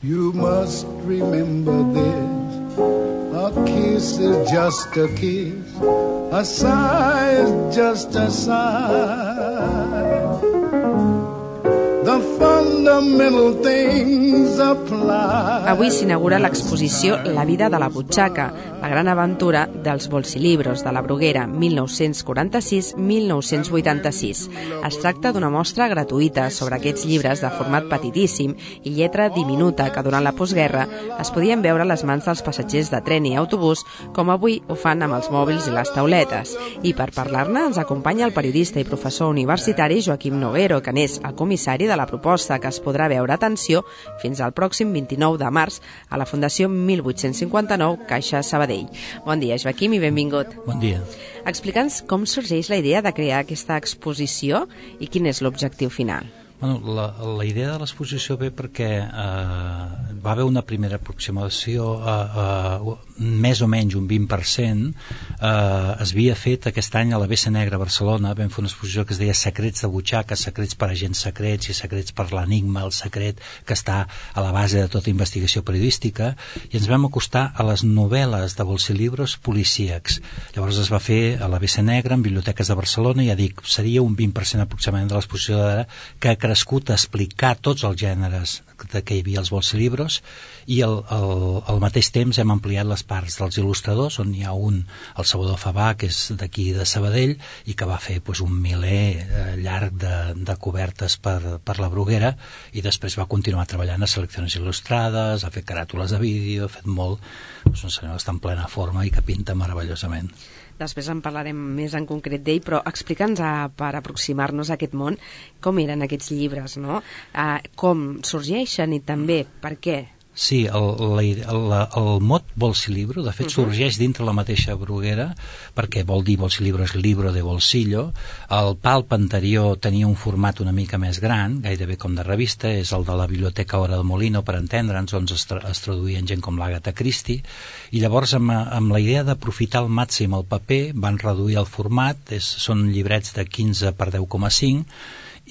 You must remember this, a kiss is just a kiss, a sigh is just a sigh. The fundamental things apply. Avui s'inaugura l'exposició La vida de la butxaca, la gran aventura dels bolsilibros de la Bruguera 1946-1986. Es tracta d'una mostra gratuïta sobre aquests llibres de format petitíssim i lletra diminuta que durant la postguerra es podien veure a les mans dels passatgers de tren i autobús, com avui ho fan amb els mòbils i les tauletes. I per parlar-ne ens acompanya el periodista i professor universitari Joaquim Noguero, que n'és el comissari de la proposta, que es podrà veure, atenció, fins al pròxim 29 de març a la Fundació 1859 Caixa Sabadell. Bon dia, Joaquim, i benvingut. Bon dia. Explica'ns com sorgeix la idea de crear aquesta exposició i quin és l'objectiu final. Bueno, la idea de l'exposició ve perquè va haver una primera aproximació, més o menys un 20%, es havia fet aquest any a la Bessa Negra a Barcelona. Vam fer una exposició que es deia Secrets de butxaca, secrets per agents secrets i secrets per l'enigma, el secret que està a la base de tota investigació periodística, i ens vam acostar a les novel·les de bolsilibros policíacs. Llavors es va fer a la Bessa Negra, en biblioteques de Barcelona, i ja dic, seria un 20% aproximadament de l'exposició d'ara, que ha crescut a explicar tots els gèneres que hi havia als bolsilibros, i al mateix temps hem ampliat les parts dels il·lustradors, on hi ha un, el Salvador Fabà, que és d'aquí de Sabadell, i que va fer un miler llarg de cobertes per la Bruguera, i després va continuar treballant a seleccions il·lustrades, ha fet caràtules de vídeo, ha fet molt. És un senyor que està en plena forma i que pinta meravellosament. Després en parlarem més en concret d'ell, però explica'ns, per aproximar-nos a aquest món, com eren aquests llibres, no? Com sorgeixen i també per què? Sí, el mot bolsilibro, de fet, sorgeix dintre la mateixa Bruguera, perquè vol dir bolsilibro és libro de bolsillo. El palp anterior tenia un format una mica més gran, gairebé com de revista, és el de la Biblioteca Hora de Molino, per entendre'ns, on es traduïen gent com l'Agatha Christie, i llavors amb la idea d'aprofitar al màxim el paper van reduir el format, són llibrets de 15 per 10,5,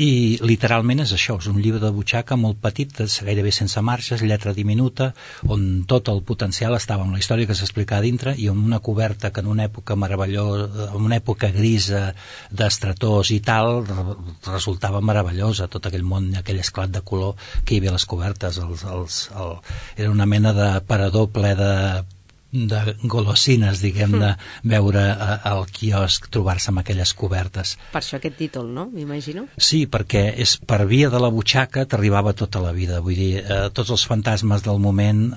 i literalment és això, és un llibre de butxaca molt petit, gairebé sense marges, lletra diminuta, on tot el potencial estava en la història que s'explica a dintre, i amb una coberta que en una època meravellosa, en una època grisa d'estrators i tal, resultava meravellosa, tot aquell món, aquell esclat de color que hi havia a les cobertes. Era una mena de parador ple de golosines, diguem, de veure al quiosc, trobar-se amb aquelles cobertes. Per això aquest títol, no? M'imagino. Sí, perquè és per via de la butxaca t'arribava tota la vida, vull dir, tots els fantasmes del moment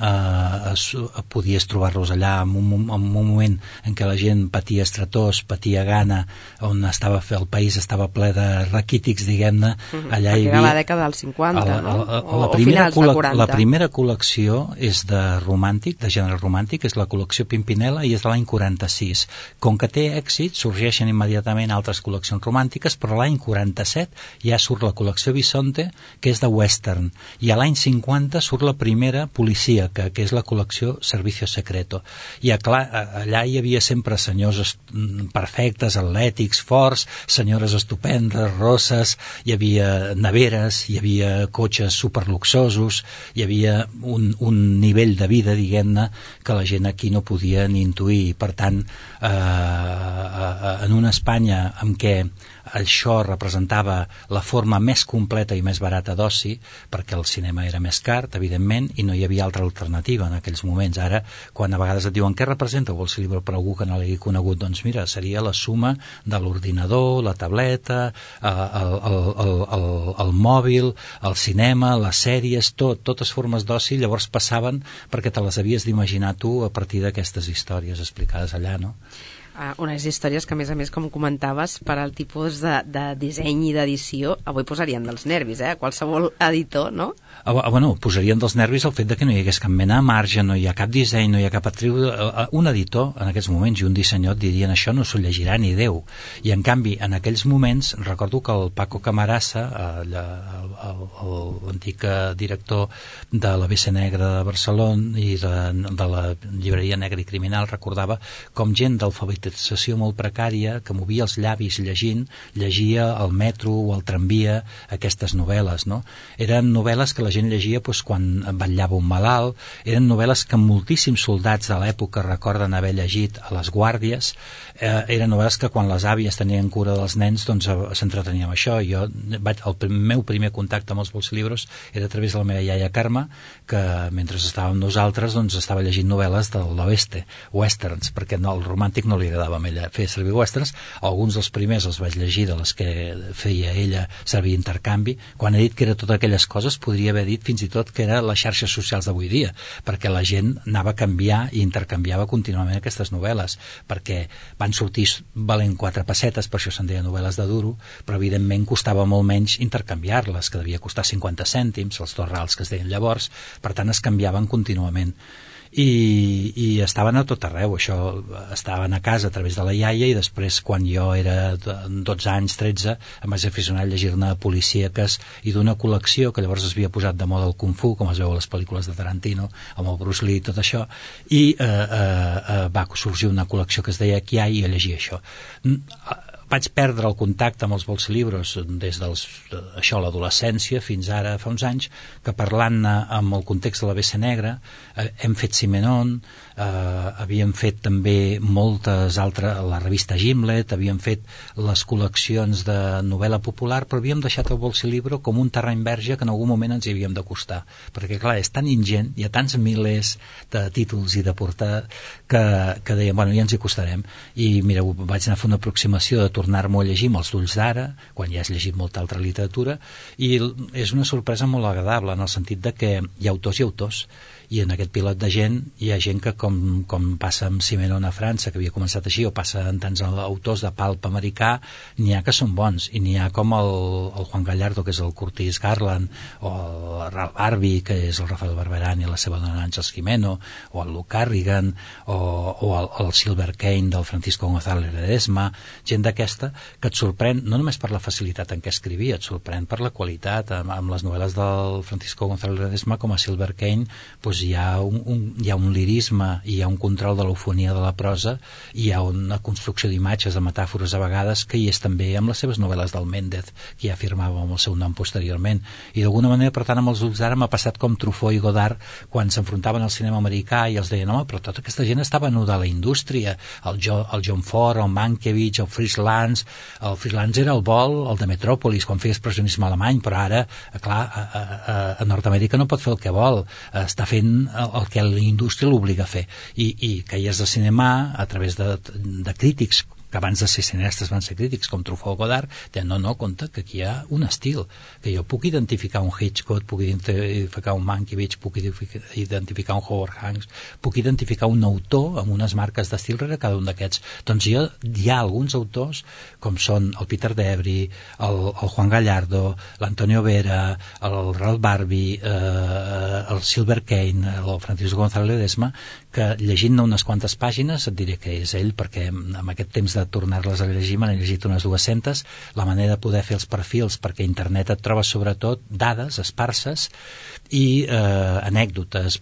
podies trobar-los allà, en un moment en què la gent patia estretors, patia gana, on el país estava ple de raquítics, diguem-ne, allà hi havia... Era la dècada dels 50, no? O finals de 40. La primera col·lecció és de romàntic, de gènere romàntic, és la col·lecció Pimpinela, i és de l'any 46. Com que té èxit, sorgeixen immediatament altres col·leccions romàntiques, però l'any 47 ja surt la col·lecció Bisonte, que és de western, i a l'any 50 surt la primera policíaca, que és la col·lecció Servicio Secreto. I allà hi havia sempre senyors perfectes, atlètics, forts, senyores estupendes, rosses, hi havia neveres, hi havia cotxes superluxosos, hi havia un nivell de vida, diguem-ne, que la gent aquí no podia ni intuir. Per tant, en una Espanya en què això representava la forma més completa i més barata d'oci, perquè el cinema era més car, evidentment, i no hi havia altra alternativa en aquells moments. Ara, quan a vegades et diuen què representa el bolsilibro per algú que no l'hagi conegut, doncs mira, seria la suma de l'ordinador, la tableta, el mòbil, el cinema, les sèries, totes formes d'oci. Llavors passaven perquè te les havies d'imaginar tu a partir d'aquestes històries explicades allà, no? Unes històries que, a més, com comentaves, per al tipus de disseny i d'edició, avui posarien dels nervis, qualsevol editor, no? Bueno, posarien dels nervis el fet de que no hi hagués cap mena de marge, no hi ha cap disseny, no hi ha cap atriu. Un editor, en aquests moments, i un dissenyador dirien això no s'ho llegirà ni Déu. I, en canvi, en aquells moments, recordo que el Paco Camarasa, l'antic director de la Bessa Negra de Barcelona i de la llibreria Negra i Criminal, recordava com gent d'alfabetització molt precària, que movia els llavis llegint, llegia al metro o al tramvia aquestes novel·les, no? Eren novel·les que la gent llegia quan vetllava un malalt. Eren novel·les que moltíssims soldats de l'època recorden haver llegit a les guàrdies. Eren novel·les que quan les àvies tenien cura dels nens s'entretenia amb això. El meu primer contacte amb els bolsilibros era a través de la meva iaia Carme, que mentre estàvem nosaltres estava llegint novel·les de l'oeste, westerns, perquè el romàntic no li agradava a ella fer servir westerns. Alguns dels primers els vaig llegir, de les que feia ella servir intercanvi. Quan he dit que era totes aquelles coses, podria haver dit fins i tot que era les xarxes socials d'avui dia, perquè la gent anava a canviar i intercanviava contínuament aquestes novel·les, perquè van sortir valent 4 pessetes, per això se'n deia novel·les de duro, però evidentment costava molt menys intercanviar-les, que devia costar 50 cèntims, els 2 rals que es deien llavors, per tant es canviaven contínuament. I estaven a tot arreu. Això estaven a casa a través de la iaia, i després, quan jo era 12 anys, 13, em vaig aficionar a llegir-ne policíaques i d'una col·lecció que llavors es havia posat de moda el Kung Fu, com es veu a les pel·lícules de Tarantino, amb el Bruce Lee i tot això, i va sorgir una col·lecció que es deia Kiai, i jo llegia això. Vaig perdre el contacte amb els bolsilibros des de l'adolescència fins ara, fa uns anys, que parlant amb el context de la BC Negra hem fet Simenon, havíem fet també moltes altres, la revista Gimlet, havíem fet les col·leccions de novel·la popular, però havíem deixat el bolsilibro com un terreny verge que en algun moment ens hi havíem d'acostar, perquè clar, és tan ingent, hi ha tants milers de títols i de portada que dèiem, bueno, ja ens hi acostarem. I mira, vaig anar a fer una aproximació de tornar-m'ho a llegir amb els ulls d'ara, quan ja has llegit molta altra literatura, i és una sorpresa molt agradable, en el sentit de que hi ha autors i autors, i en aquest pilot de gent hi ha gent que com passa amb Simenon a França, que havia començat així, o passa en tants autors de pulp americà, n'hi ha que són bons, i n'hi ha com el Juan Gallardo, que és el Curtis Garland, o el Ralph Barbie, que és el Rafael Barberán i la seva dona Àngels Jimeno, o el Luke Carrigan, o el Silver Kane del Francisco González Ledesma, gent d'aquesta que et sorprèn no només per la facilitat en què escrivia, et sorprèn per la qualitat. Amb les novel·les del Francisco González Ledesma, com a Silver Kane, hi ha un lirisme, hi ha un control de l'eufonia de la prosa, hi ha una construcció d'imatges, de metàfores a vegades, que hi és també amb les seves novel·les del Méndez, que ja firmava amb el seu nom posteriorment. I d'alguna manera, per tant, amb els ulls d'ara m'ha passat com Truffaut i Godard quan s'enfrontaven al cinema americà i els deien, home, però tota aquesta gent està venuda a la indústria, el John Ford, el Mankiewicz, el Fritz Lanz. El Fritz Lanz era el vol, el de Metròpolis, quan feia expressionisme alemany, però ara, clar, a Nord-Amèrica no pot fer el que vol, està fent el que la indústria l'obliga a fer, i que hi has de cinema a través de crítics que abans de ser cineastes van ser crítics, com Truffaut o Godard, deien, no, compte, que aquí hi ha un estil, que jo puc identificar un Hitchcock, puc identificar un Mankiewicz, puc identificar un Howard Hawks, puc identificar un autor amb unes marques d'estil rere cada un d'aquests. Doncs hi ha alguns autors, com són el Peter Debris, el Juan Gallardo, l'Antonio Vera, el Ralph Barbie, el Silver Kane, el Francisco González Ledesma, que llegint-ne unes quantes pàgines et diré que és ell, perquè amb aquest temps de tornar-les a llegir me n'he llegit unes 200, la manera de poder fer els perfils, perquè a internet et trobes sobretot dades esparses i anècdotes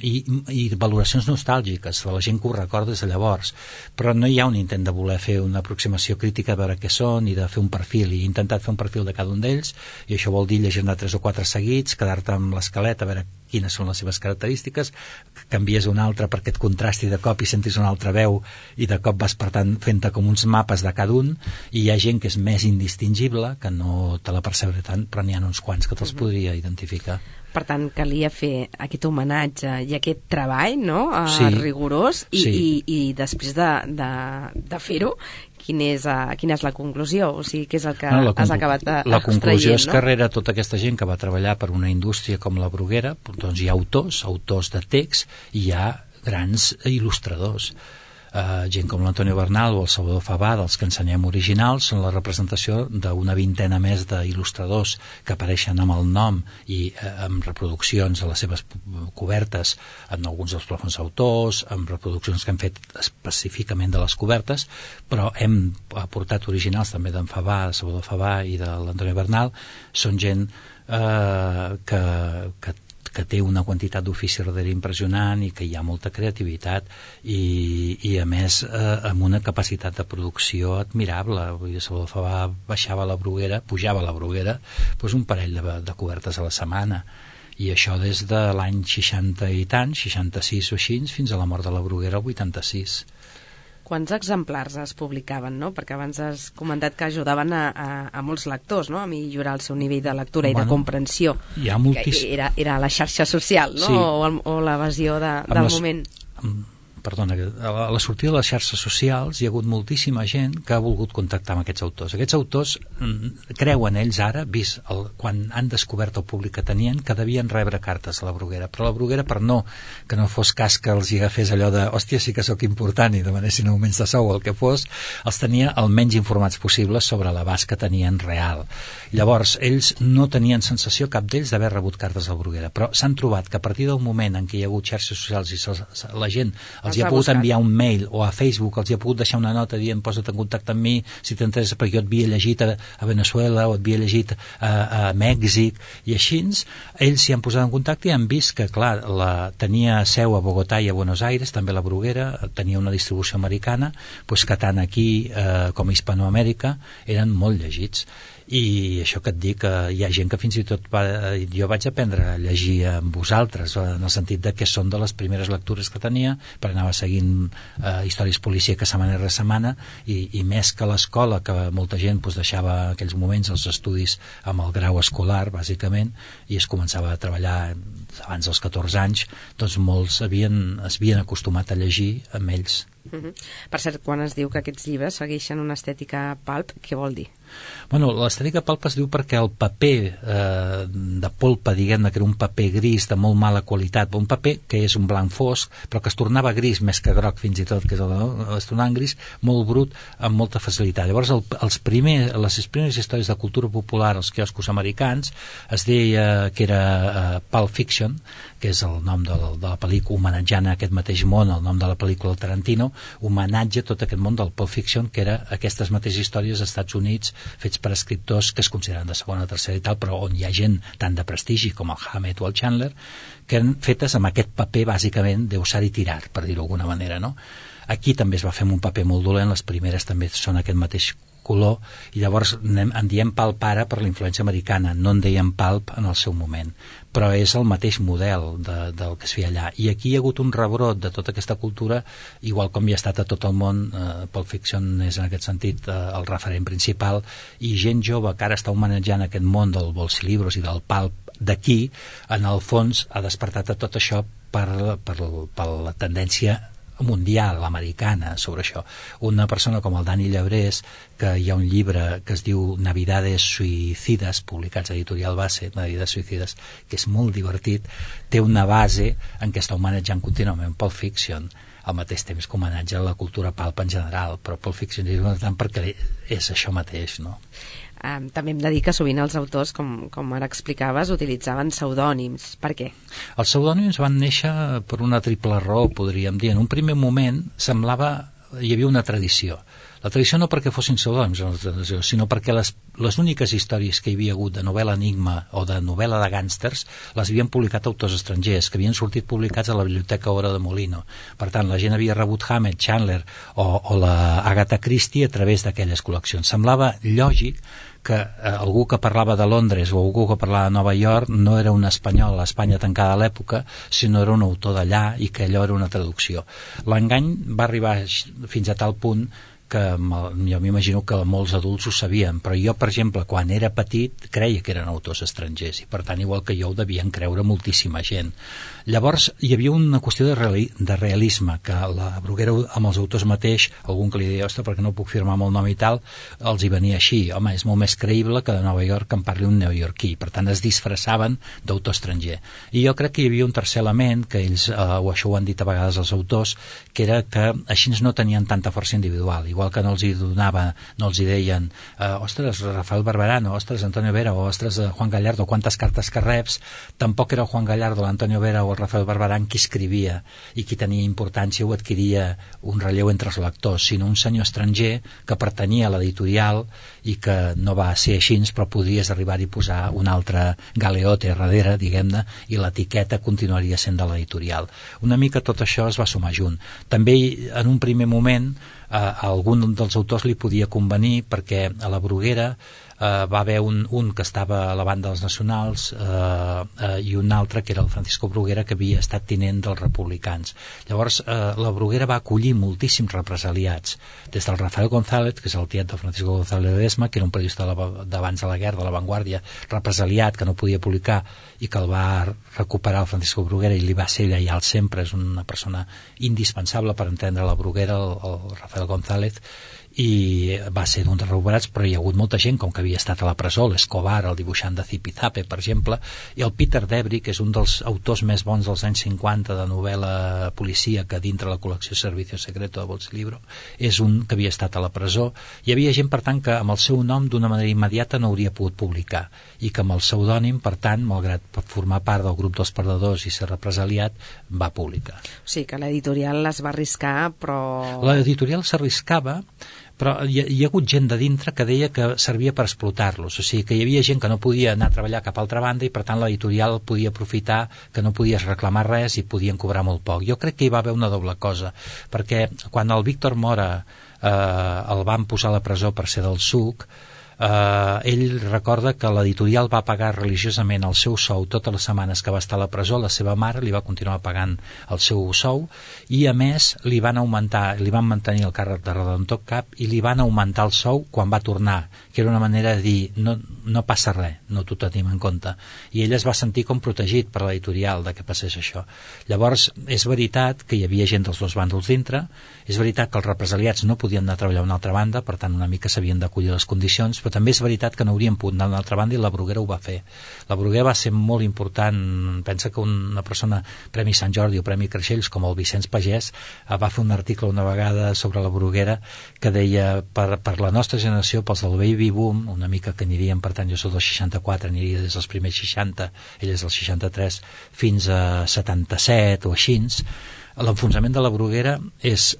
i valoracions nostàlgiques de la gent que ho recorda des de llavors, però no hi ha un intent de voler fer una aproximació crítica a veure què són i de fer un perfil, i he intentat fer un perfil de cada un d'ells, i això vol dir llegir-ne 3 o 4 seguits, quedar-te amb l'esquelet a veure quines són les seves característiques, canvies una altra perquè et contrasti de cop i sentis una altra veu, i de cop vas per tant fent-te com uns mapes de cada un, i hi ha gent que és més indistingible, que no te la percebre tant, però n'hi ha uns quants que te'ls podria identificar. Per tant, calia fer aquest homenatge i aquest treball, no? Sí. Rigorós, Sí. I després de fer-ho, quina és la conclusió? O sigui, què és el que has acabat extraient? La conclusió és que rere tota aquesta gent que va treballar per una indústria com la Bruguera, doncs hi ha autors de text, i hi ha grans il·lustradors. Gent com l'Antonio Bernal o el Salvador Fabà, dels que ensenyem originals, són la representació d'una vintena més d'il·lustradors que apareixen amb el nom i amb reproduccions de les seves cobertes en alguns dels plafons autors, amb reproduccions que hem fet específicament de les cobertes, però hem aportat originals també d'en Fabà, de Salvador Fabà i de l'Antonio Bernal. Són gent que té una quantitat d'ofici darrere impressionant i que hi ha molta creativitat i a més amb una capacitat de producció admirable. Vull dir, Salvador Fabà pujava a la Bruguera doncs un parell de cobertes a la setmana, i això des de l'any 60 i tant, 66 o així, fins a la mort de la Bruguera el 86. Quants exemplars es publicaven, no? Perquè abans has comentat que ajudaven a molts lectors, no? A millorar el seu nivell de lectura i de comprensió. Hi ha Era la xarxa social, no? Sí. O l'evasió del moment. Perdona, a la sortida de les xarxes socials hi ha hagut moltíssima gent que ha volgut contactar amb aquests autors. Aquests autors creuen ells ara, vist quan han descobert el públic que tenien, que devien rebre cartes a la Bruguera, però la Bruguera, per que no fos cas que els hi agafés allò de hòstia, sí que sóc important i demanessin augments de sou o el que fos, els tenia el menys informats possible sobre l'abast que tenien real. Llavors, ells no tenien sensació, cap d'ells, d'haver rebut cartes a la Bruguera, però s'han trobat que a partir del moment en què hi ha hagut xarxes socials i la gent els hi ha pogut enviar un mail, o a Facebook els hi ha pogut deixar una nota dient posa't en contacte amb mi si t'interessa, perquè jo et havia llegit a Venezuela o et havia llegit a Mèxic, i així ells s'hi han posat en contacte i han vist que, clar, tenia seu a Bogotà i a Buenos Aires, també la Bruguera tenia una distribució americana, doncs que tant aquí com a Hispanoamèrica eren molt llegits. I això que et dic, hi ha gent que fins i tot jo vaig aprendre a llegir amb vosaltres, en el sentit de que són de les primeres lectures que tenia, perquè anava seguint històries policíaques setmana rere setmana, i més que l'escola, que molta gent deixava en aquells moments els estudis amb el grau escolar, bàsicament, i es començava a treballar abans dels 14 anys, doncs molts es havien acostumat a llegir amb ells. Per cert, quan es diu que aquests llibres segueixen una estètica pulp, què vol dir? Bueno, l'estètica pulp es diu perquè el paper de polpa, diguem-ne, que era un paper gris de molt mala qualitat, un paper que és un blanc fosc, però que es tornava gris més que groc fins i tot, que es tornava en gris, molt brut, amb molta facilitat. Llavors, les primeres històries de cultura popular als quioscos americans es deia que era Pulp Fiction, que és el nom de la pel·lícula, homenatjant a aquest mateix món, el nom de la pel·lícula del Tarantino, homenatge a tot aquest món del Pulp Fiction, que era aquestes mateixes històries als Estats Units fets per escriptors que es consideren de segona o tercera i tal, però on hi ha gent tant de prestigi com el Hammett o el Chandler, que eren fetes amb aquest paper bàsicament de usar i tirar, per dir-ho d'alguna manera, no? Aquí també es va fer amb un paper molt dolent, les primeres també són aquest mateix color, i llavors en diem pulp ara per la influència americana, no en deien pulp en el seu moment, però és el mateix model del que es feia allà, i aquí hi ha hagut un rebrot de tota aquesta cultura, igual com hi ha estat a tot el món. Pulp Fiction és en aquest sentit el referent principal, i gent jove que ara està homenatjant aquest món del bolsilibros i del pulp d'aquí, en el fons ha despertat a tot això per la tendència mundial, americana, sobre això. Una persona com el Dani Llebrés, que hi ha un llibre que es diu Navidades Suicidas, publicats a Editorial Base, Navidades Suicidas, que és molt divertit, té una base en què està homenatjant contínuament Pulp Fiction, al mateix temps que homenatja a la cultura pulp en general, però Pulp Fiction és important perquè és això mateix, no? També hem de dir que sovint els autors, com ara explicaves, utilitzaven pseudònims. Per què? Els pseudònims van néixer per una triple raó, podríem dir. En un primer moment hi havia una tradició. La tradició no perquè fossin pseudònims, sinó perquè les úniques històries que hi havia hagut de novel·la enigma o de novel·la de gàngsters les havien publicat autors estrangers, que havien sortit publicats a la Biblioteca Oro de Molino. Per tant, la gent havia rebut Hammett, Chandler o la Agatha Christie a través d'aquelles col·leccions. Semblava lògic que algú que parlava de Londres o algú que parlava de Nova York no era un espanyol a Espanya tancada a l'època, sinó era un autor d'allà, i que allò era una traducció. L'engany va arribar fins a tal punt que jo m'imagino que molts adults ho sabien, però jo, per exemple, quan era petit creia que eren autors estrangers, i per tant, igual que jo, ho devien creure moltíssima gent. Llavors hi havia una qüestió de realisme, que la Bruguera amb els autors mateix, algun que li deia, ostres, perquè no puc firmar amb el nom i tal, els hi venia així, home, és molt més creïble que de Nova York que en parli un neoyorquí, per tant es disfressaven d'autor estranger. I jo crec que hi havia un tercer element, que ells, o això ho han dit a vegades els autors, que era que així no tenien tanta força individual, igual que no els hi donava, no els hi deien ostres, Rafael Barberán, ostres, Antonio Vera, o ostres, Juan Gallardo, quantes cartes que reps, tampoc era Juan Gallardo, l'Antonio Vera o el Rafael Barberán qui escrivia i qui tenia importància o adquiria un relleu entre els lectors, sinó un senyor estranger que pertanyia a l'editorial i que no va ser així, però podries arribar-hi a posar un altre galeote darrere, diguem-ne, i l'etiqueta continuaria sent de l'editorial. Una mica tot això es va sumar junt. També en un primer moment a algun dels autors li podia convenir, perquè a la Bruguera va haver un que estava a la banda dels nacionals i un altre que era el Francisco Bruguera, que havia estat tinent dels republicans. Llavors la Bruguera va acollir moltíssims represaliats, des del Rafael González, que és el tiet del Francisco González Ledesma, que era un periodista d'abans de la guerra, de La Vanguardia, represaliat, que no podia publicar, i que el va recuperar el Francisco Bruguera i li va ser lleial sempre. És una persona indispensable per entendre la Bruguera, el Rafael González, i va ser d'un dels recuperats, però hi ha hagut molta gent com que havia estat a la presó, l'Escobar, el dibuixant de Zipizape, per exemple, i el Peter Debris, que és un dels autors més bons dels anys 50 de novel·la policíaca dintre la col·lecció Servicio Secreto de Bolsilibro, és un que havia estat a la presó. Hi havia gent, per tant, que amb el seu nom d'una manera immediata no hauria pogut publicar, i que amb el pseudònim, per tant, malgrat formar part del grup dels perdedors i ser represaliat, va publicar. O sigui que l'editorial es va arriscar, però... L'editorial s'arriscava, però hi ha hagut gent de dintre que deia que servia per explotar-los, o sigui que hi havia gent que no podia anar a treballar cap altra banda i per tant l'editorial podia aprofitar que no podies reclamar res i podien cobrar molt poc. Jo crec que hi va haver una doble cosa, perquè quan el Víctor Mora el van posar a la presó per ser del SUC, ell recorda que l'editorial va pagar religiosament el seu sou totes les setmanes que va estar a la presó. La seva mare li va continuar pagant el seu sou i a més li van mantenir el càrrec de redactor cap i li van augmentar el sou quan va tornar, que era una manera de dir no passa res, no t'ho tenim en compte, i ell es va sentir com protegit per l'editorial de que passés això. Llavors és veritat que hi havia gent dels dos bàndols dintre, és veritat que els represaliats no podien anar a treballar a una altra banda, per tant una mica s'havien d'acollir les condicions, però també és veritat que no haurien pogut anar a una altra banda i la Bruguera ho va fer. La Bruguera va ser molt important. Pensa que una persona, Premi Sant Jordi o Premi Creixells, com el Vicenç Pagès, va fer un article una vegada sobre la Bruguera que deia per la nostra generació, pels del baby boom, una mica que aniríem, per tant jo soc del 64, aniria des dels primers 60, ell és del 63, fins a 77 o així. L'enfonsament de la Bruguera és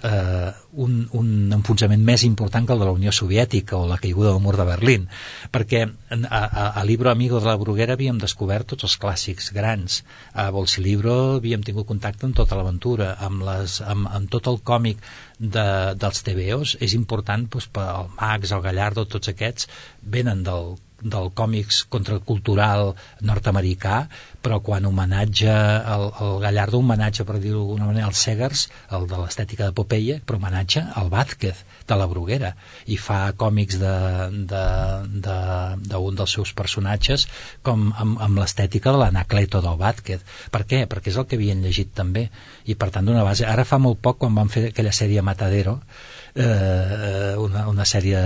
un enfonsament més important que el de la Unió Soviètica o la caiguda del mur de Berlín, perquè a Libro Amigo de la Bruguera havíem descobert tots els clàssics grans, a Bolsilibro havíem tingut contacte amb tota l'aventura, amb tot el còmic dels TVOs. És important, doncs, el Max, el Gallardo, tots aquests venen del còmics contracultural nord-americà, però quan homenatge el Gallardo, homenatge, per dir-ho d'alguna manera, als Segers, el de l'estètica de Popeye, però homenatge al Vázquez de la Bruguera, i fa còmics d'un dels seus personatges com amb l'estètica de l'Anacleto del Vázquez. Per què? Perquè és el que havien llegit també, i per tant d'una base. Ara fa molt poc, quan van fer aquella sèrie Matadero, una sèrie,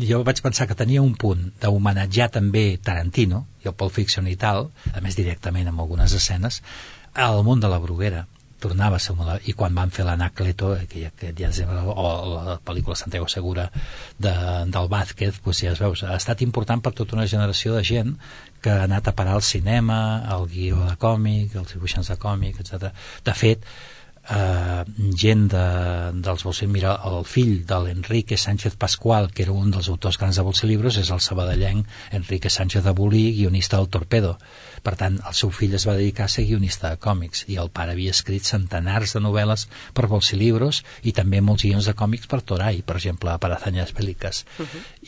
jo vaig pensar que tenia un punt d'homenatjar també Tarantino i el Pulp Fiction i tal, a més directament amb algunes escenes, al món de la Bruguera. Tornava a ser i quan van fer l'Anacleto, o la pel·lícula Santiago Segura del Vázquez, doncs ja es veu, ha estat important per tota una generació de gent que ha anat a parar al cinema, al guió de còmic, els dibuixants de còmic, etc. De fet, gent dels Bolsilibros, mira, el fill de l'Enrique Sánchez Pascual, que era un dels autors grans de Bolsilibros, és el sabadellenc Enrique Sánchez de Bolí, guionista del Torpedo. Per tant, el seu fill es va dedicar a ser guionista de còmics i el pare havia escrit centenars de novel·les per Bolsilibros i també molts guions de còmics per Toray, per exemple, per Hazañas Bélicas.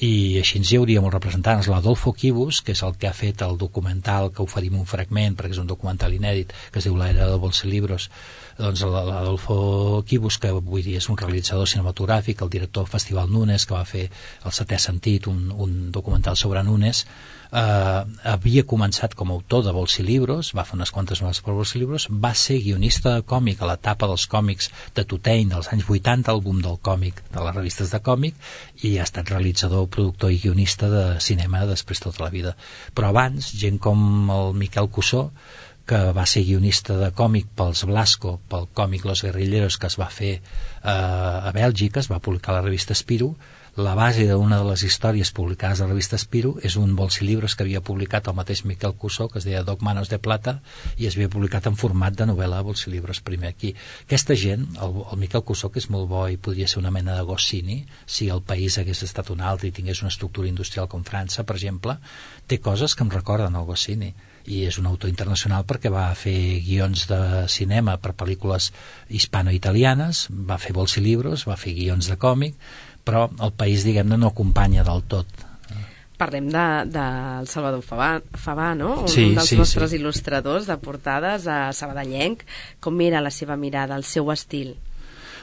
I així hi hauria molts representants. L'Adolfo Quibus, que és el que ha fet el documental, que oferim un fragment perquè és un documental inèdit que es diu La era de Bolsilibros, doncs l'Adolfo Quibus, que avui dia és un realitzador cinematogràfic, el director del Festival Nunes, que va fer El setè sentit, un documental sobre Nunes, havia començat com a autor de Bolsilibros, va fer unes quantes novel·les per Bolsilibros, va ser guionista de còmic a l'etapa dels còmics de Tutein dels anys 80, el boom del còmic, de les revistes de còmic, i ha estat realitzador, productor i guionista de cinema després tota la vida. Però abans, gent com el Miquel Cussó, que va ser guionista de còmic pels Blasco, pel còmic Los Guerrilleros, que es va fer a Bèlgica, es va publicar a la revista Spirou. La base d'una de les històries publicades a la revista Spirou és un Bolsilibros que havia publicat el mateix Miquel Cussó, que es deia Dos manos de plata, i es havia publicat en format de novel·la a Bolsilibros primer aquí. Aquesta gent, el Miquel Cussó, que és molt bo i podria ser una mena de Goscinny, si el país hagués estat un altre i tingués una estructura industrial com França, per exemple, té coses que em recorden el Goscinny, i és un autor internacional perquè va fer guions de cinema per pel·lícules hispano-italianes, va fer Bolsilibros, va fer guions de còmic, però el país, diguem-ne, no acompanya del tot Parlem del Salvador Favà, no? Sí, un dels nostres il·lustradors de portades, sabadellenc. Com era la seva mirada, el seu estil?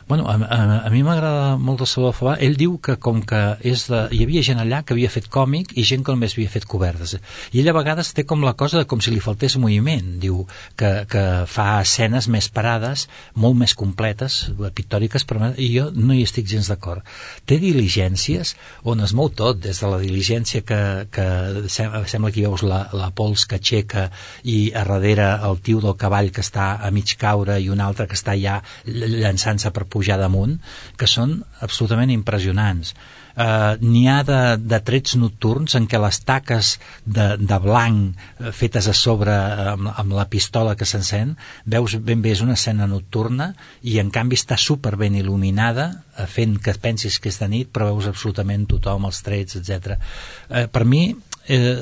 Bueno, a mi m'agrada molt el Salvador Favà. Ell diu que com que hi havia gent allà que havia fet còmic i gent que només havia fet cobertes, i ell a vegades té com la cosa de com si li faltés moviment. Diu que fa escenes més parades, molt més completes, pictòriques, i jo no hi estic gens d'acord. Té diligències on es mou tot, des de la diligència que sembla que hi veus la pols que aixeca i a darrere el tio del cavall que està a mig caure i un altre que està ja llançant-se per pujar damunt, que són absolutament impressionants. N'hi ha de trets nocturns en què les taques de blanc fetes a sobre amb la pistola que s'encén, veus ben bé és una escena nocturna i en canvi està super ben il·luminada, fent que pensis que és de nit, però veus absolutament tothom, els trets, etc. Per mi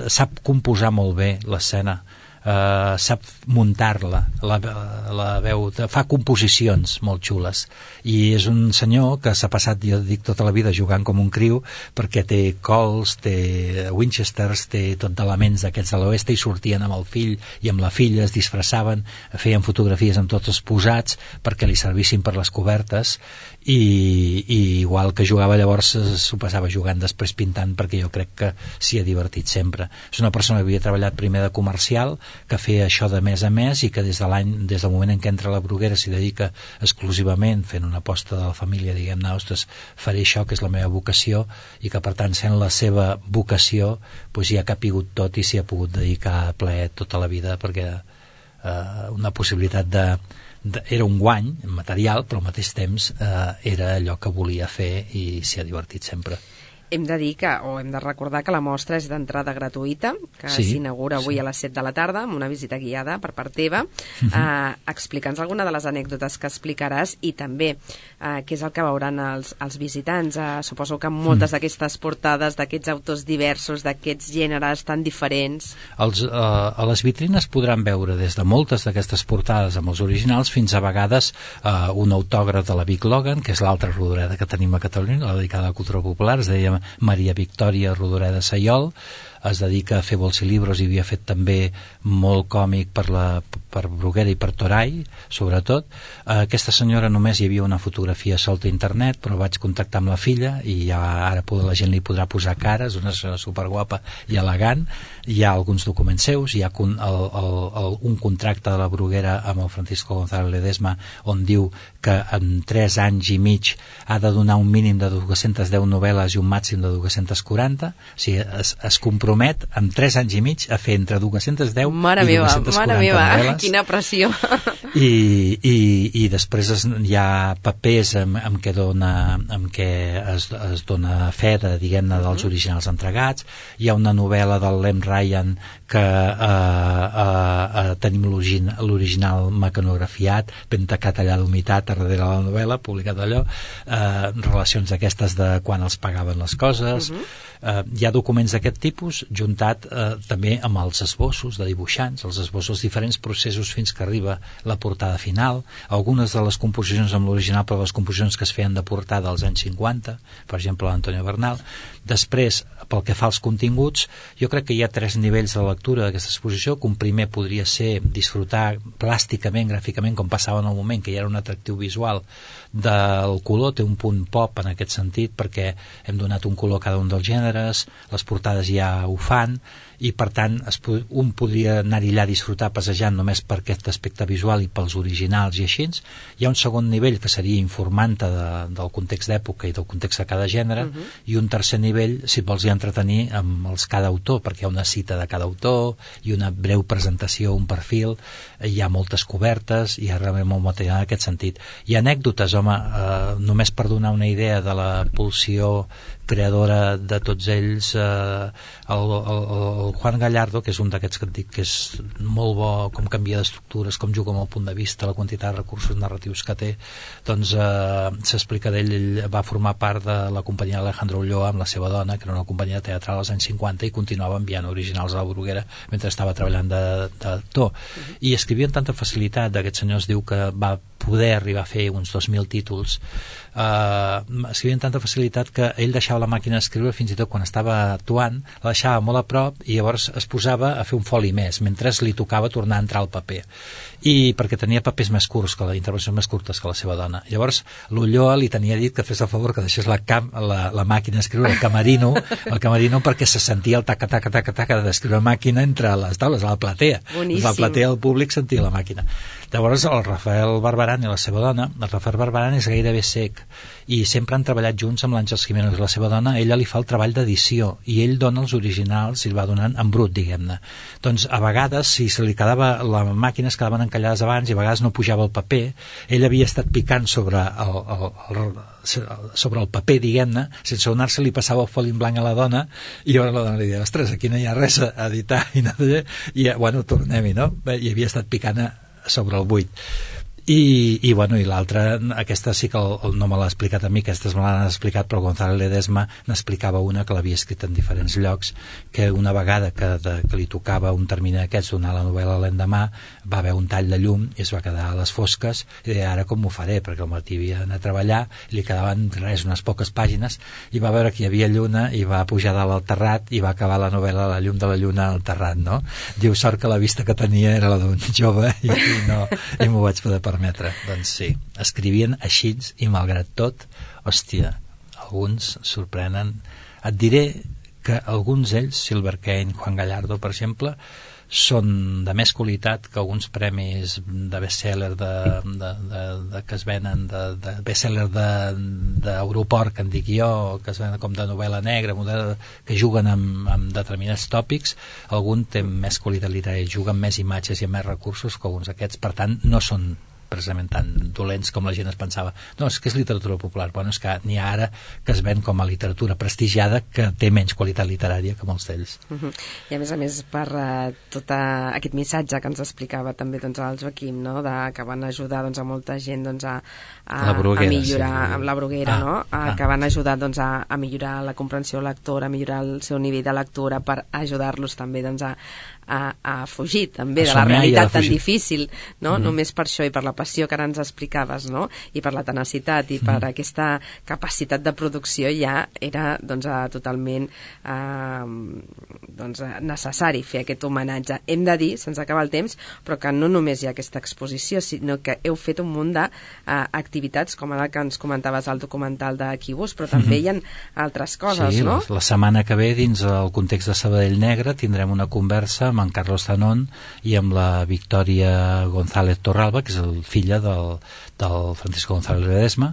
sap composar molt bé l'escena, sap muntar-la, la veu, fa composicions molt xules, i és un senyor que s'ha passat, jo dic, tota la vida jugant com un criu, perquè té Colts, té Winchesters, té tot d'elements d'aquests de l'oest, i sortien amb el fill i amb la filla, es disfressaven, feien fotografies amb tots els posats perquè li servissin per les cobertes, i igual que jugava llavors s'ho passava jugant, després pintant, perquè jo crec que s'hi ha divertit sempre. És una persona que havia treballat primer de comercial, que feia això de mes a mes i que des del moment en què entra a la Bruguera s'hi dedica exclusivament, fent una aposta de la família, diguem-ne, ostres, faré això que és la meva vocació, i que per tant sent la seva vocació doncs hi ha capigut tot i s'hi ha pogut dedicar a ple tota la vida, perquè una possibilitat era un guany material, però al mateix temps era allò que volia fer i s'hi ha divertit sempre. Hem de dir hem de recordar que la mostra és d'entrada gratuïta, que s'inaugura avui a les 7 de la tarda amb una visita guiada per part teva. Explica'ns alguna de les anècdotes que explicaràs i també què és el que veuran els visitants. Suposo que moltes d'aquestes portades, d'aquests autors diversos, d'aquests gèneres tan diferents. A les vitrines podran veure des de moltes d'aquestes portades amb els originals fins a vegades un autògraf de la Vic Logan, que és l'altra rodoreda que tenim a Catalunya, la dedicada a la cultura popular, es deia Maria Victòria Rodoreda Sayol, es dedica a fer bols i llibres i havia fet també molt còmic per Bruguera i per Toray, sobretot. Aquesta senyora només hi havia una fotografia solta a internet, però vaig contactar amb la filla i ara la gent li podrà posar cares, una senyora superguapa i elegant. Hi ha alguns documents seus, hi ha un contracte de la Bruguera amb el Francisco González Ledesma on diu que en 3 anys i mig ha de donar un mínim de 210 novel·les i un màxim de 240, o sigui, es compromet en 3 anys i mig a fer entre 210 i 240 novel·les. Quina pressió! I després hi ha papers amb què es dona fe diguem-ne dels originals entregats. Hi ha una novel·la del Lem Ryan que tenim l'original mecanografiat, ben tacat allà d'humitat a darrere la novel·la, publicat allò, relacions aquestes de quan els pagaven les coses. Hi ha documents d'aquest tipus juntat també amb els esbossos de dibuixants, els esbossos, diferents processos fins que arriba la portada final, algunes de les composicions amb l'original, però les composicions que es feien de portada als anys 50, per exemple l'Antonio Bernal. Després, pel que fa als continguts, jo crec que hi ha 3 nivells de lectura d'aquesta exposició, que un primer podria ser disfrutar plàsticament, gràficament, com passava en el moment, que hi era un atractiu visual del color, té un punt pop en aquest sentit, perquè hem donat un color a cada un dels gèneres, les portades ja ho fan, i per tant un podria anar-hi allà a disfrutar passejant només per aquest aspecte visual i pels originals i així. Hi ha un segon nivell que seria informant-te del context d'època i del context de cada gènere, i un tercer nivell si et vols entretenir amb cada autor, perquè hi ha una cita de cada autor i una breu presentació, un perfil, hi ha moltes cobertes, hi ha realment molt material en aquest sentit. Hi ha anècdotes, home, només per donar una idea de la pulsió creadora de tots ells, el Juan Gallardo, que és un d'aquests que et dic que és molt bo, com canvia d'estructures, com juga amb el punt de vista, la quantitat de recursos narratius que té, doncs s'explica d'ell. Ell va formar part de la companyia Alejandro Ulloa amb la seva dona, que era una companyia teatral als anys 50, i continuava enviant originals a la Bruguera mentre estava treballant d'actor, i escrivia amb tanta facilitat. Aquest senyor es diu que va poder arribar a fer uns 2.000 títols, escrivia amb tanta facilitat que ell deixava la màquina d'escriure, fins i tot quan estava actuant, la deixava molt a prop i llavors es posava a fer un foli més, mentre li tocava tornar a entrar al paper. I perquè tenia papers més curts, intervencions més curtes que la seva dona. Llavors l'Ulloa li tenia dit que fes el favor que deixés la màquina d'escriure el camerino perquè se sentia el taca d'escriure màquina entre les taules, a la platea. Boníssim. La platea del públic sentia la màquina. Llavors el Rafael Barberan i la seva dona, el Rafael Barberan és gairebé cec i sempre han treballat junts amb l'Àngels Jiménez. La seva dona, ella li fa el treball d'edició i ell dona els originals i el va donant en brut, diguem-ne. Doncs a vegades, si se li quedava, les màquines quedaven encallades abans i a vegades no pujava el paper, ell havia estat picant sobre el paper, diguem-ne, sense donar-se, li passava el foli en blanc a la dona i llavors la dona li deia, ostres, aquí no hi ha res a editar i bueno, tornem-hi, no? I havia estat picant sobre el buit. I l'altra, aquesta sí que no me l'ha explicat a mi, aquestes me l'han explicat, però González Ledesma n'explicava una que l'havia escrit en diferents llocs, que una vegada que li tocava un termini d'aquests, donar la novel·la l'endemà, va haver un tall de llum i es va quedar a les fosques i deia, ara com m'ho faré, perquè el Martí havia d'anar a treballar, li quedaven unes poques pàgines, i va veure que hi havia lluna i va pujar dalt al terrat i va acabar la novel·la La llum de la lluna al terrat, no? Diu, sort que la vista que tenia era la d'un jove i m'ho vaig poder permetre. Doncs sí, escrivien així i malgrat tot, hòstia, alguns sorprenen. Et diré que alguns d'ells, Silver Kane, Juan Gallardo, per exemple, són de més qualitat que alguns premis de best-seller que es venen de best-seller d'aeroport, que en dic jo, que es venen com de novel·la negra, que juguen amb determinats tòpics. Algun té més qualitat literària, juguen més imatges i més recursos que alguns d'aquests, per tant no són precisament tan dolents com la gent es pensava. No, és que és literatura popular. Bueno, és que n'hi ha ara que es ven com a literatura prestigiada que té menys qualitat literària que molts d'ells. I a més per tot aquest missatge que ens explicava també doncs, el Joaquim, no? Que van ajudar doncs, a molta gent doncs, a millorar amb la Bruguera, no? Que van ajudar doncs, a millorar la comprensió lectora, a millorar el seu nivell de lectura, per ajudar-los també doncs, a fugir també de la realitat tan difícil, no? Només per això i per la passió que ara ens explicaves, no? I per la tenacitat i per aquesta capacitat de producció ja era doncs, totalment necessari fer aquest homenatge. Hem de dir, se'ns acaba el temps, però que no només hi ha aquesta exposició, sinó que heu fet un munt d'activitats, com ara que ens comentaves el documental de Quibus, però també hi ha altres coses, no? La setmana que ve, dins el context de Sabadell Negre, tindrem una conversa amb en Carlos Zanón i amb la Victòria González Torralba, que és filla del Francisco González Ledesma,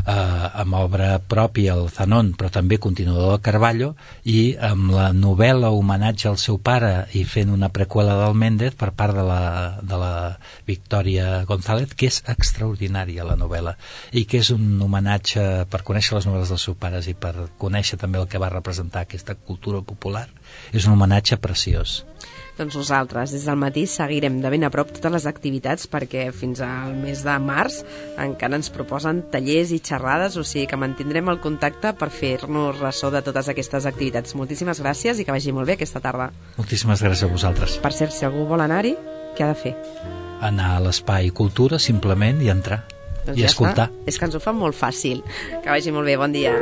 amb obra pròpia el Zanón, però també continuador de Carballo, i amb la novel·la homenatge al seu pare i fent una preqüela del Méndez per part de la Victòria González, que és extraordinària la novel·la, i que és un homenatge per conèixer les novel·les dels seus pares i per conèixer també el que va representar aquesta cultura popular. És un homenatge preciós. Doncs nosaltres, des del matí, seguirem de ben a prop totes les activitats, perquè fins al mes de març encara ens proposen tallers i xerrades, o sigui que mantindrem el contacte per fer-nos ressò de totes aquestes activitats. Moltíssimes gràcies i que vagi molt bé aquesta tarda. Moltíssimes gràcies a vosaltres. Per cert, si algú vol anar-hi, què ha de fer? Anar a l'Espai Cultura, simplement, i entrar. Doncs i escoltar. És que ens ho fa molt fàcil. Que vagi molt bé, bon dia.